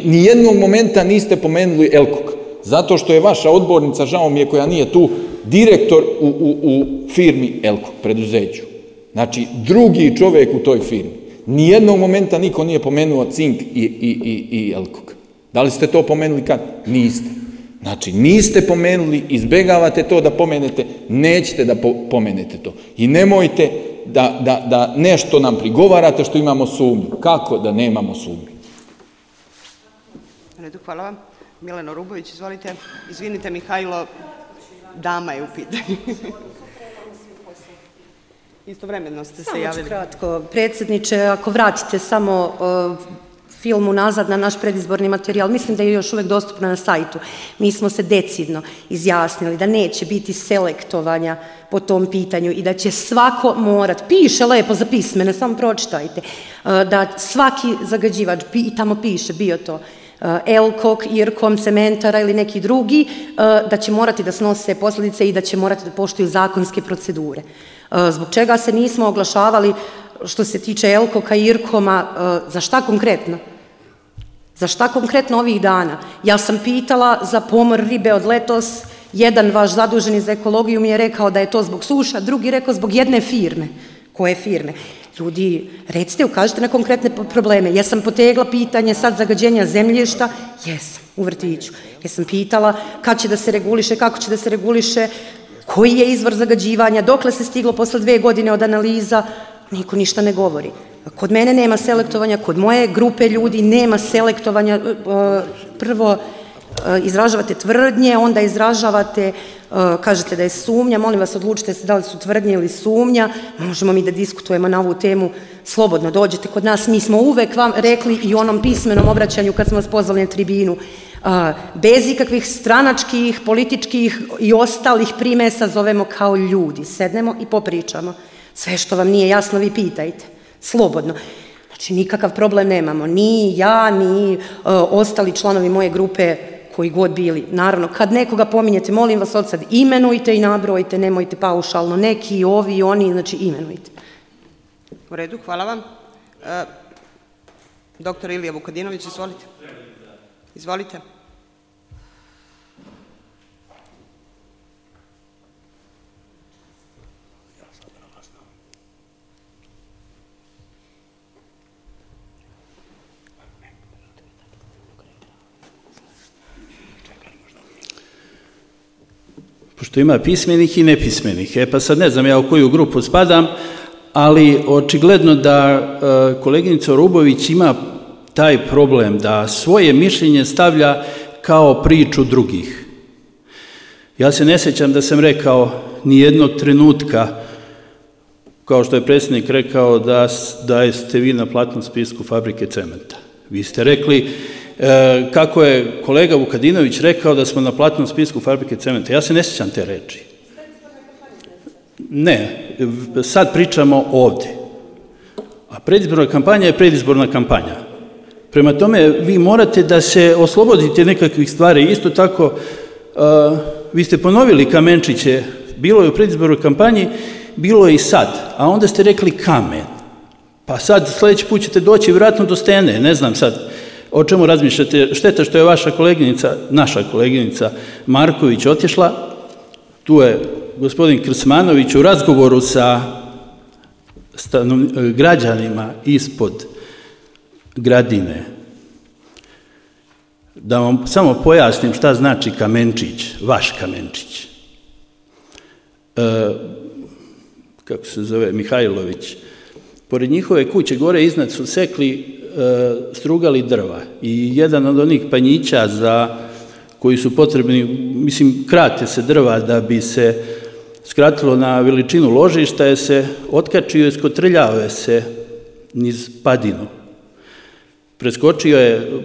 Nijednog momenta niste pomenuli Elkok, zato što je vaša odbornica, žao mi je koja nije tu, direktor u firmi Elkok, preduzeću. Znači, drugi čovjek u toj firmi. Nijednog momenta niko nije pomenuo Cink i Elkok. Da li ste to pomenuli kad? Niste. Znači, niste pomenuli, izbegavate to da pomenete, nećete da pomenete to. I nemojte da nešto nam prigovarate što imamo sumnju. Kako da nemamo sumnju? Redu, hvala vam. Milena Orubović, izvolite. Izvinite, Mihajlo, dama je u pitanju. Istovremeno ste se javili. Samo ću kratko. Predsjedniče, ako vratite samo film unazad na naš predizborni materijal, mislim da je još uvek dostupno na sajtu. Mi smo se decidno izjasnili da neće biti selektovanja po tom pitanju i da će svako morat, piše lepo za pismene, samo pročitajte, da svaki zagađivač, i tamo piše, bio to Elkok, Irkom, Cementara ili neki drugi, da će morati da snose posljedice i da će morati da poštuju zakonske procedure. Zbog čega se nismo oglašavali što se tiče Elkoka i Irkoma, za šta konkretno? Za šta konkretno ovih dana? Ja sam pitala za pomor ribe od letos, jedan vaš zaduženi za ekologiju mi je rekao da je to zbog suša, drugi rekao zbog jedne firme. Koje firme? Ljudi, recite, ukažite na konkretne probleme. Jesam potegla pitanje sad zagađenja zemljišta? Jesam, u vrtiću. Jesam pitala kad će da se reguliše, kako će da se reguliše, koji je izvor zagađivanja, dokle se stiglo posle 2 godine od analiza, niko ništa ne govori. Kod mene nema selektovanja, kod moje grupe ljudi nema selektovanja. Prvo izražavate tvrdnje, onda izražavate, kažete da je sumnja, molim vas odlučite se da li su tvrdnje ili sumnja, možemo mi da diskutujemo na ovu temu, slobodno dođete kod nas, mi smo uvek vam rekli i u onom pismenom obraćanju kad smo vas pozvali na tribinu, bez ikakvih stranačkih, političkih i ostalih primesa zovemo kao ljudi, sednemo i popričamo. Sve što vam nije jasno vi pitajte, slobodno. Znači nikakav problem nemamo, ni ja, ni ostali članovi moje grupe koji god bili. Naravno, kad nekoga pominjete, molim vas od sad imenujte i nabrojite, nemojte paušalno, neki, ovi, oni, znači imenujte. U redu, hvala vam. Doktor Ilija Vukadinović, izvolite. Izvolite. pošto ima pismenih i nepismenih. Pa sad ne znam ja u koju grupu spadam, ali očigledno da koleginica Rubović ima taj problem da svoje mišljenje stavlja kao priču drugih. Ja se ne sjećam da sam rekao ni jednog trenutka, kao što je predsjednik rekao, da ste vi na platnom spisku fabrike cementa. Vi ste rekli kako je kolega Vukadinović rekao da smo na platnom spisku fabrike cementa. Ja se ne sjećam te reči. Ne, sad pričamo ovdje. A predizborna kampanja je predizborna kampanja. Prema tome, vi morate da se oslobodite nekakvih stvari. Isto tako, vi ste ponovili kamenčiće, bilo je u predizbornoj kampanji, bilo je i sad, a onda ste rekli kamen. Pa sad sljedeći put ćete doći vjerojatno do stene, ne znam sad o čemu razmišljate. Šteta što je vaša koleginica, naša koleginica Marković otišla, tu je gospodin Krsmanović u razgovoru sa građanima ispod Gradine. Da vam samo pojasnim šta znači kamenčić, vaš kamenčić. Kako se zove, Mihajlović. Pored njihove kuće gore iznad su sekli, strugali drva i jedan od onih panjića koji su potrebni, mislim, krate se drva da bi se skratilo na veličinu ložišta, je se otkačio i skotrljao se niz padinu.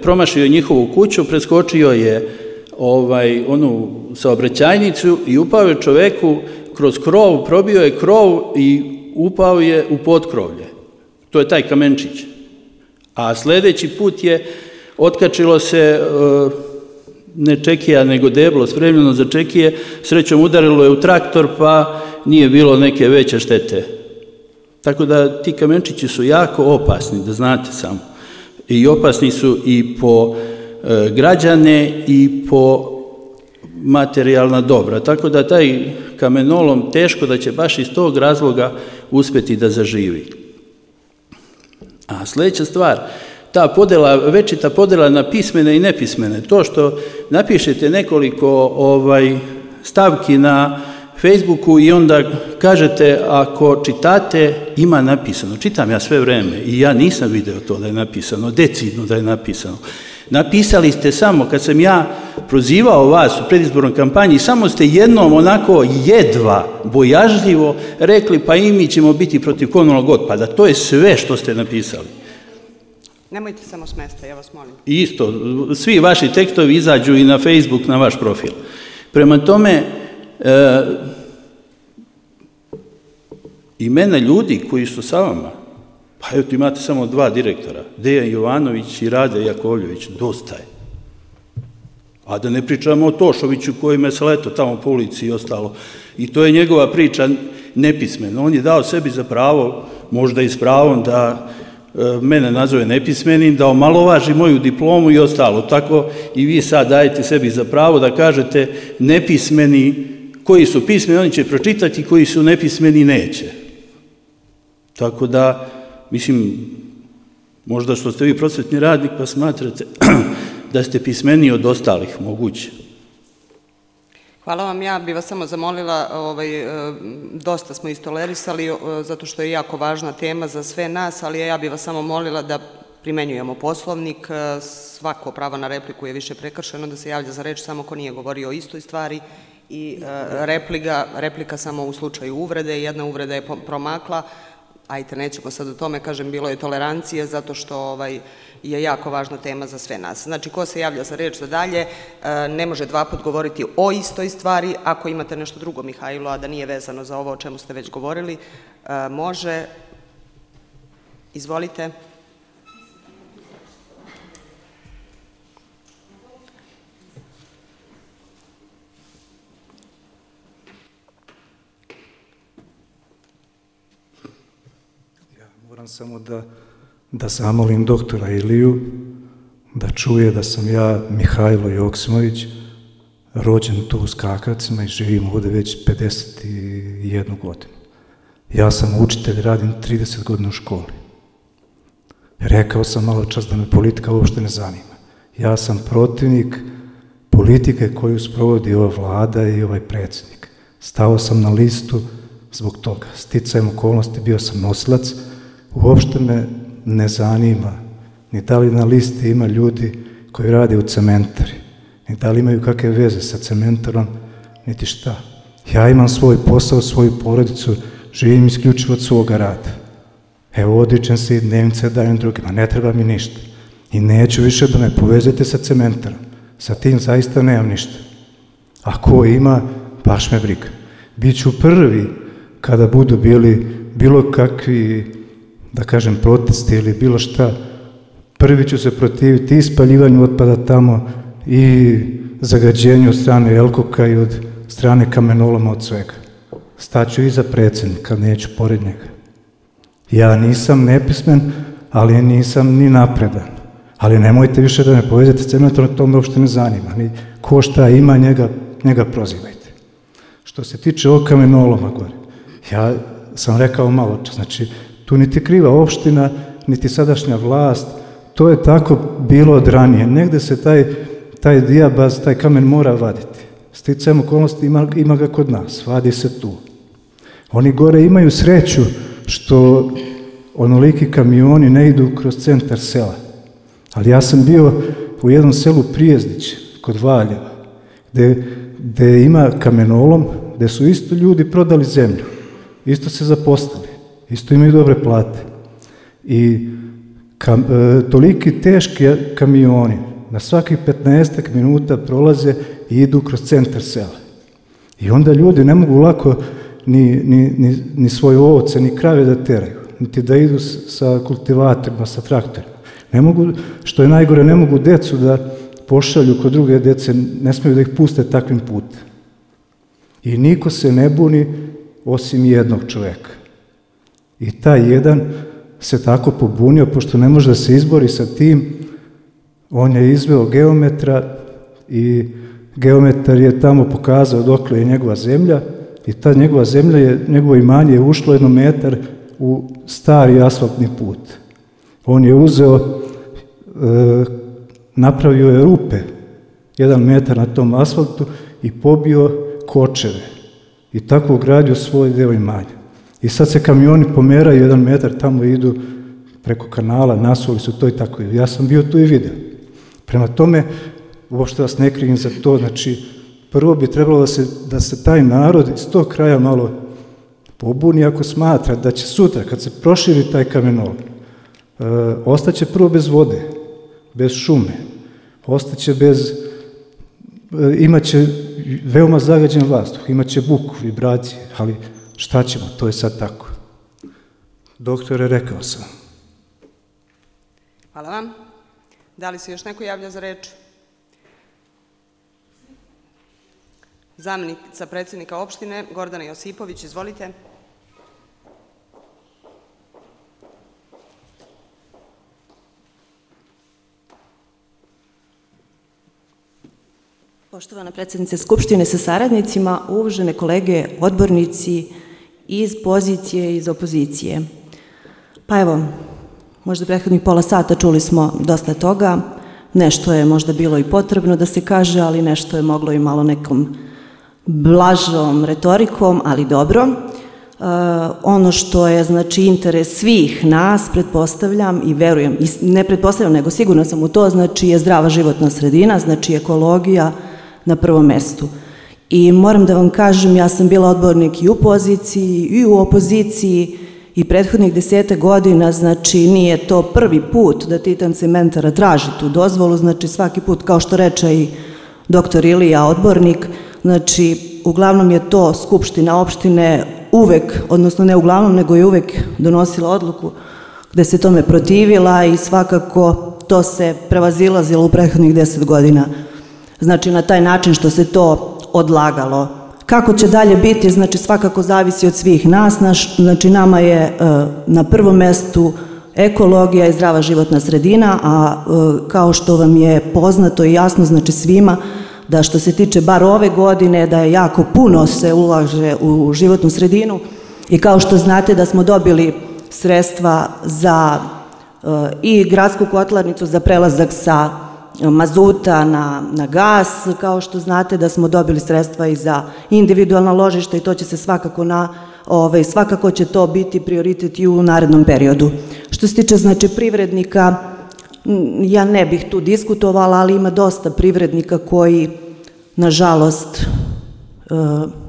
Promašio je njihovu kuću, preskočio je onu saobraćajnicu i upao je čoveku kroz krov, probio je krov i upao je u potkrovlje. To je taj kamenčić. A sljedeći put je otkačilo se ne čekija, nego deblo spremljeno za čekije, srećom udarilo je u traktor, pa nije bilo neke veće štete. Tako da ti kamenčići su jako opasni, da znate samo. I opasni su i po građane i po materijalna dobra. Tako da taj kamenolom teško da će baš iz tog razloga uspjeti da zaživi. A sljedeća stvar, ta podjela, večita podjela na pismene i nepismene, to što napišete nekoliko stavki na Facebooku i onda kažete ako čitate ima napisano. Čitam ja sve vrijeme i ja nisam vidio to da je napisano, decidno da je napisano. Napisali ste samo, kad sam ja prozivao vas u predizbornoj kampanji, samo ste jednom onako jedva, bojažljivo rekli pa i mi ćemo biti protiv komunalnog otpada. To je sve što ste napisali. Nemojte samo s mesta, ja vas molim. Isto, svi vaši tekstovi izađu i na Facebook, na vaš profil. Prema tome, imena ljudi koji su sa vama, pa evo imate samo 2 direktora, Dejan Jovanović i Rade Jakovljević, dosta je. A da ne pričamo o Tošoviću koji me sleto tamo po ulici i ostalo. I to je njegova priča nepismena. On je dao sebi za pravo, možda i s pravom, da mene nazove nepismenim, da omalovaži moju diplomu i ostalo. Tako i vi sad dajete sebi za pravo da kažete nepismeni, koji su pismeni, oni će pročitati, koji su nepismeni, neće. Tako da, mislim, možda što ste vi prosvetni radnik pa smatrate da ste pismeniji od ostalih, moguće. Hvala vam, ja bih vas samo zamolila, dosta smo istolerisali, zato što je jako važna tema za sve nas, ali ja bih vas samo molila da primenjujemo Poslovnik, svako pravo na repliku je više prekršeno, da se javlja za reč samo ko nije govorio o istoj stvari i replika samo u slučaju uvrede, jedna uvreda je promakla. Ajte, nećemo sad o tome, kažem, bilo je tolerancije, zato što je jako važna tema za sve nas. Znači, ko se javlja za reč za dalje, ne može 2 put govoriti o istoj stvari. Ako imate nešto drugo, Mihajlo, a da nije vezano za ovo o čemu ste već govorili, može. Izvolite. Moram samo da zamolim doktora Iliju da čuje da sam ja, Mihajlo Joksimović, rođen tu u Skakavcima i živim ovdje već 51 godinu. Ja sam učitelj, radim 30 godina u školi. Rekao sam malo čas da me politika uopšte ne zanima. Ja sam protivnik politike koju sprovodi ova vlada i ovaj predsjednik. Stao sam na listu zbog toga. Sticajem okolnosti bio sam nosilac. Uopšte me ne zanima ni da li na listi ima ljudi koji rade u cementari, ni da li imaju kakve veze sa cementarom, niti šta. Ja imam svoj posao, svoju porodicu, živim isključivo od svoga rada. Evo, odričem se i dnevnice dajem drugima, ne treba mi ništa. I neću više da me povezete sa cementarom. Sa tim zaista nemam ništa. A ko ima, baš me briga. Biću prvi kada budu bili bilo kakvi, da kažem, protesti ili bilo šta, prvi ću se protiviti i spaljivanju otpada tamo i zagađenju od strane Elkoka i od strane kamenoloma, od svega. Staću iza predsjednika, neću pored njega. Ja nisam nepismen, ali nisam ni napredan. Ali nemojte više da me povezete s cementom, to me uopšte ne zanima. Ni ko šta ima, njega prozivajte. Što se tiče ovog kamenoloma gore, ja sam rekao malo čas, znači tu niti kriva opština, niti sadašnja vlast, to je tako bilo od ranije. Negde se taj dijabaz, taj kamen mora vaditi. Sticajem okolnosti ima ga kod nas, vadi se tu. Oni gore imaju sreću što onoliki kamioni ne idu kroz centar sela. Ali ja sam bio u jednom selu Prijezdić, kod Valjeva, gde ima kamenolom, gde su isto ljudi prodali zemlju, isto se zaposlili, isto imaju dobre plate. I toliki teški kamioni na svakih 15 minuta prolaze i idu kroz centar sela. I onda ljudi ne mogu lako ni svoje ovce, ni krave da teraju, niti da idu sa kultivatorima, sa traktorima. Ne mogu, što je najgore, ne mogu decu da pošalju kod druge dece, ne smiju da ih puste takvim putem. I niko se ne buni osim jednog čoveka. I taj jedan se tako pobunio, pošto ne može da se izbori sa tim, on je izveo geometra i geometar je tamo pokazao dokle je njegova zemlja i ta njegova zemlja, njegovo imanje je ušlo 1 metar u stari asfaltni put. On je uzeo, napravio je rupe 1 metar na tom asfaltu i pobio kočeve i tako ugradio svoj deo imanja. I sad se kamioni pomeraju 1 metar, tamo idu preko kanala, nasuli su to i tako. Ja sam bio tu i vidio. Prema tome, uopšte vas ne krivim za to, znači, prvo bi trebalo da se taj narod iz tog kraja malo pobuni ako smatra da će sutra, kad se proširi taj kamenolom, ostaće prvo bez vode, bez šume, ostaće imaće veoma zagađen vazduh, imaće buku, vibracije, ali šta ćemo, to je sad tako. Doktore, rekao sam. Hvala vam. Da li se još neko javlja za reč? Zamjenica predsjednika opštine, Gordana Josipović, izvolite. Poštovana predsjednice Skupštine sa saradnicima, uvažene kolege odbornici iz pozicije i iz opozicije. Pa evo, možda prethodnih pola sata čuli smo dosta toga, nešto je možda bilo i potrebno da se kaže, ali nešto je moglo i malo nekom blažom retorikom, ali dobro. Ono što je, znači, interes svih nas, pretpostavljam i verujem, ne pretpostavljam, nego sigurno sam u to, znači, je zdrava životna sredina, znači ekologija na prvom mestu. I moram da vam kažem, ja sam bila odbornik i u poziciji i u opoziciji i prethodnih 10 godina, znači nije to prvi put da Titan cementara traži tu dozvolu, znači svaki put, kao što reče i doktor Ilija, odbornik, znači uglavnom je to Skupština opštine uvek, odnosno ne uglavnom, nego je uvek donosila odluku gde se tome protivila i svakako to se prevazilazilo u prethodnih 10 godina. Znači na taj način što se to odlagalo. Kako će dalje biti, znači svakako zavisi od svih nas, znači nama je na prvom mestu ekologija i zdrava životna sredina, a kao što vam je poznato i jasno, znači svima, da što se tiče bar ove godine, da je jako puno se ulaže u životnu sredinu i kao što znate da smo dobili sredstva za i gradsku kotlarnicu za prelazak sa mazuta na gas, kao što znate da smo dobili sredstva i za individualna ložišta i to će se svakako će to biti prioritet i u narednom periodu. Što se tiče znači privrednika, ja ne bih tu diskutovala, ali ima dosta privrednika koji nažalost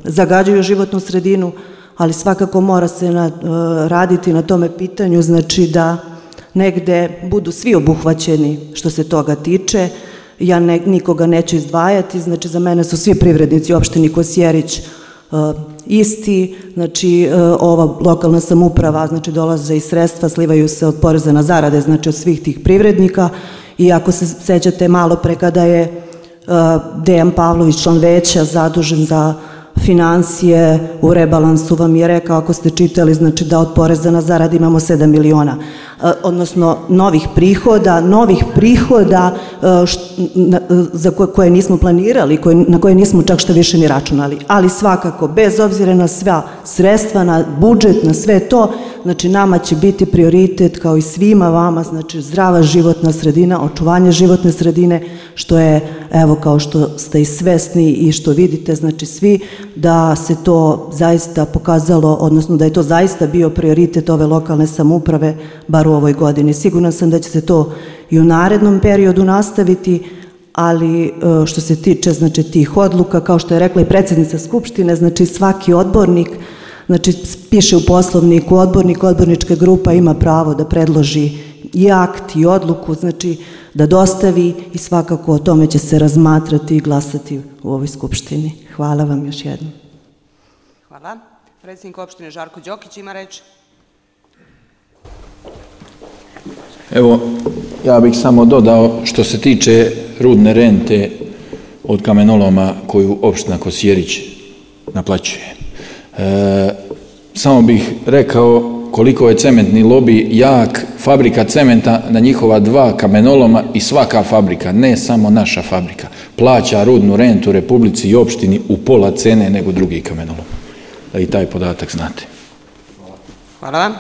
zagađuju životnu sredinu, ali svakako mora se raditi na tome pitanju, znači da negde budu svi obuhvaćeni što se toga tiče. Ja nikoga neću izdvajati, znači za mene su svi privrednici u opštini Kosjerić isti, znači ova lokalna samouprava, znači dolaze i sredstva, slivaju se od poreza na zarade, znači od svih tih privrednika i ako se sećate malo pre kada je Dejan Pavlović, član veća, zadužen za financije, u rebalansu vam je rekao, ako ste čitali, znači da od poreza na zarade imamo 7 miliona, odnosno novih prihoda za koje nismo planirali, na koje nismo čak što više ni računali, ali svakako, bez obzira na sva sredstva, na budžet, na sve to, znači nama će biti prioritet kao i svima vama, znači zdrava životna sredina, očuvanje životne sredine, što je, evo kao što ste i svesni i što vidite, znači svi, da se to zaista pokazalo, odnosno da je to zaista bio prioritet ove lokalne samouprave, bar u ovoj godini. Sigurna sam da će se to i u narednom periodu nastaviti, ali što se tiče znači tih odluka, kao što je rekla i predsjednica Skupštine, znači svaki odbornik, znači piše u poslovniku, odbornička grupa ima pravo da predloži i akt i odluku, znači da dostavi i svakako o tome će se razmatrati i glasati u ovoj Skupštini. Hvala vam još jednom. Hvala. Predsjednik opštine Žarko Đokić ima reč. Evo, ja bih samo dodao što se tiče rudne rente od kamenoloma koju opština Kosjerić naplaćuje. Samo bih rekao koliko je cementni lobi jak, fabrika cementa na njihova 2 kamenoloma i svaka fabrika, ne samo naša fabrika, plaća rudnu rentu Republici i opštini u pola cene nego drugi kamenolom. Da i taj podatak znate. Hvala vam.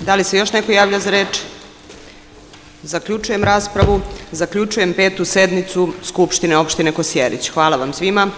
Da li se još neko javlja za reč? Zaključujem raspravu. Zaključujem 5. sednicu Skupštine opštine Kosjerić. Hvala vam svima.